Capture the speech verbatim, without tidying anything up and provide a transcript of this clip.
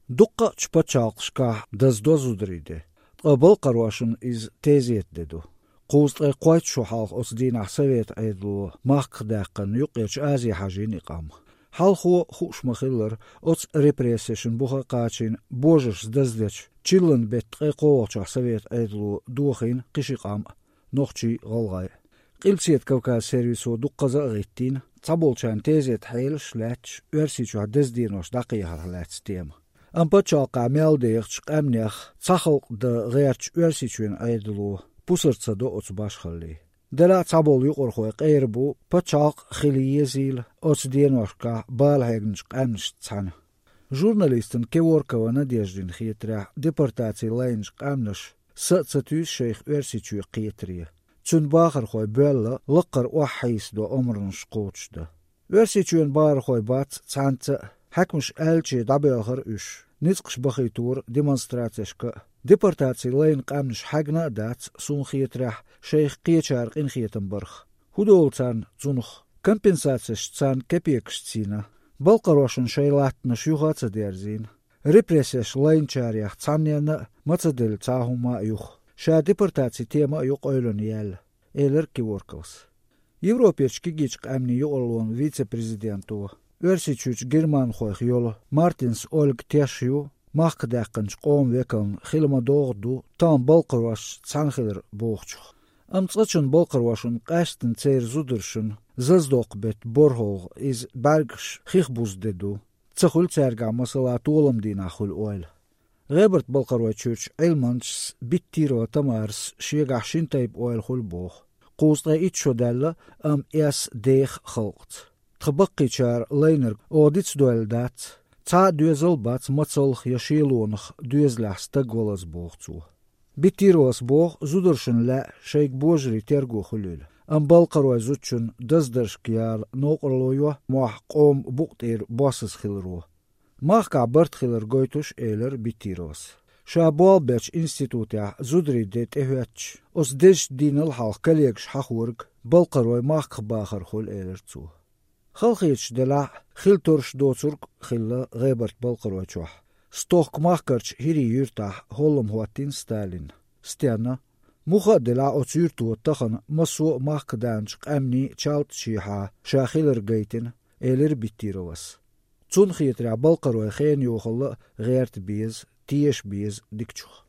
Дуккхачу пачхьалкхашкахь даздо зударийн де. Ткъа балкхарошна иза тезета де ду. Кхузткъе кхойтта шо хьалха оцу дийнахь Совет Ӏедало махках даьккхина Юккъерчу Азе хьажийна и къам. Хьалхо хууш ма-хиллара, оцу репрессешна буха а кхачийна, божаршца даздечу чиллан беттан ткъе кхоалгӀачохь Совет Ӏедало дохийна кхин ши къам а, нохчий а, гӀалгӀай а. Къилбаседа Кавказ сервисо дуккхаза а гӀиттийна цхьаболчарна тезета хьелаш а лаьтташ Оьрсийчохь деза денош дӀакхехьарх лаьцна тема. Амма пачхьалкхехь мел дехачу къаьмнех цхьа халкъ дан гӀертачу Оьрсийчоьнан Ӏедало пусар ца до оцу башхаллин. Делахь а цхьаболу юкъархой къера бу, пачхьалкх хила езийла оцу деношкахь бала хьегначу къаьмнашца цхьаьна. Журналистана Кеворкова Надеждина хетарехь, депортаци лайначу къаьмнаша са а ца туьйсу шайх Оьрсийчоь кхетаре. Цуьнан бахархой боьлла лаккхара охьахьийсадо омранаш кхочушдан. Оьрсийчоьнан бахархой бац цхьаьнца а, хьаькамаша аьллачу дӀабоьлхура уьш, ницкъаш бахийтора демонстрацешка а. Депортаци лайна къаьмнаш хьаьгна а дац, суна хетарехь, шайх кхечара къинхетам барх. ХӀун долу царна цунах? Компенсацеш царна кепекашца йина. Балкхарошна шайн латтанаш юха а ца дерзийна. Репрессеш лайначарех цхьанненна а ма ца делла цхьа а хӀума а юха. Ша депортаци тема а ю къевлина яьлла, элира Кеворковас. Европерчу кегийчу къаьмнийн юкъарлонан вице-президенто, Оьрсийчуьрчу германхойх йолу Мартинс Ольга теш ю махках даьккхинчу къоман векална хила ма-догӀу ду тахана балкхарошца цхьаьна хилар бохучух. Амма цкъачунна балкхарошна, къаьсттина церан зударшна, заздоккху беттан борхӀалгӀа иза бӀаьргаш хих буза де ду. Ца хуьлу цаьргахь, масала, толам дийнахь хуьлу ойла. ГӀебарта-Балкхаройчуьрчу Ӏилманчас Биттирова Тамарас шегахь шина тайпа ойла хуьлу боху. Кхузткъе итт шо даьлла, амма эс деха халкъаца. Тхан баккхийчара лайнарг оха дицдойла дац, цхьа а доьзал а бац мацаллах я шелонах доьзалехь стаг валаза, боху цо. Биттировас боху, зударшна лаьа шайга божарийн терго хуьлийла, амма балкхаройн зудчунна даздаршка яла новкъарло йо мохь къоман букъа тӀера боссаза хиларо. Махкахь барт хилар гойтуш, элира Биттировас. Ша болх бечу институтехь зударийн де тӀехӀоьттича, оцу дезачу дийнал хьалха коллегаш хьахориг балкхарой махках бахар хуьлу, элира цо. Халахеташ делахь а, хила тарлуш доцург а хилла ГӀебарта-Балкхаройчохь. Стохка-Махкарчу ХӀирийн юьртахь хӀоллам хӀоттийна Сталина. Стенна? Муха а делахь, оцу юьрто тахана массо а махках даьхначу къаьмнийн чалтачехьа ша хилар гайтина, элира Биттировас. Цунна хетарехь, балкхарой хенан йохалла а гӀерта беза, теша беза дикачух.